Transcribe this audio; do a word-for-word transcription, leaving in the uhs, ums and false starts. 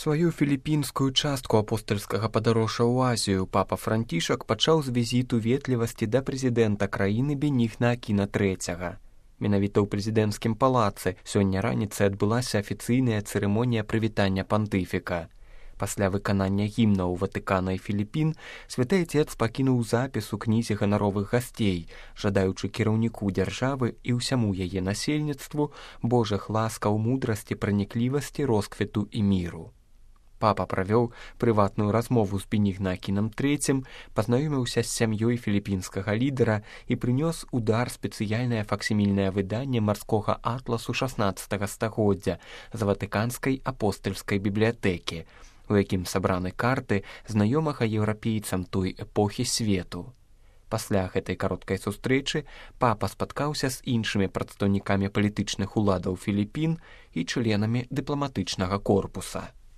Сваю філіпінскую частку апостальскага падарожжа ў Азію папа Францішак пачаў з візіту ветлівасці да прэзідэнта краіны Бенігна Акіна трэцяга. Менавіта ў прэзідэнцкім палацы сёння раніцай адбылася афіцыйная цырымонія прывітання пантыфіка. Пасля выканання гімнаў Ватыкана і Філіпін святы Айцец пакінуў запіс у кнізе ганаровых гасцей, жадаючы кіраўніку дзяржавы і ўсяму яе насельніцтву Божых ласкаў, мудрасці, праніклівасці, росквіту і міру. Папа правёў прыватную размову з Бенігна Акінам трэцім, пазнаёміўся з сям'ёй філіпінскага лідара і прынёс у дар спецыяльнае факсімільнае выданне марскога атласу шаснаццатага стагоддзя з ватыканскай апостальскай бібліятэкі, у якім сабраны карты знаёмага еўрапейцам той эпохі свету. Пасля гэтай кароткай сустрэчы папа спаткаўся з іншымі прадстаўнікамі палітычных уладаў Філіпін і членамі дыпламатычнага корпуса.